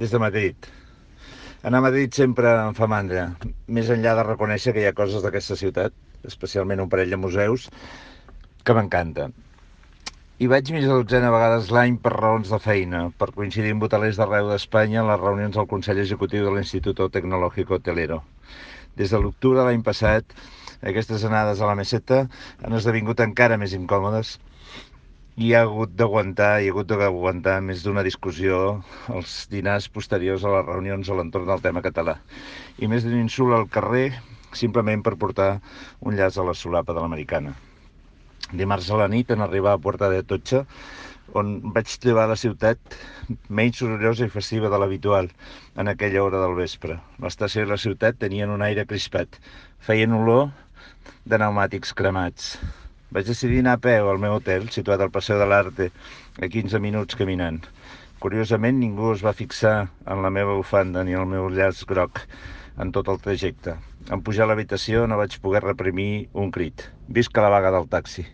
Des de Madrid. Anar a Madrid sempre em fa mandra, més enllà de reconèixer que hi ha coses d'aquesta ciutat, especialment un parell de museus, que m'encanten. Hi vaig més de dotzena vegades l'any per raons de feina, per coincidir amb hotelers d'arreu d'Espanya en les reunions del Consell Executiu de l'Instituto Tecnológico Hotelero. Des de l'octubre de l'any passat, aquestes anades a la meseta han esdevingut encara més incòmodes i hi ha hagut d'aguantar més d'una discussió als dinars posteriors a les reunions a l'entorn del tema català i més d'un insult al carrer simplement per portar un llaç a la solapa de l'americana. Dimarts a la nit, en arribar a Puerta de Atocha, on vaig trobar la ciutat menys sorollosa i festiva de l'habitual en aquella hora del vespre. L'estació i la ciutat tenien un aire crispat, feien olor de pneumàtics cremats. Vaig decidir anar a peu al meu hotel, situat al Paseo de l'Arte, a 15 minuts caminant. Curiosament, ningú es va fixar en la meva bufanda ni el meu llaç groc en tot el trajecte. En pujar a l'habitació no vaig poder reprimir un crit. Visca la vaga del taxi!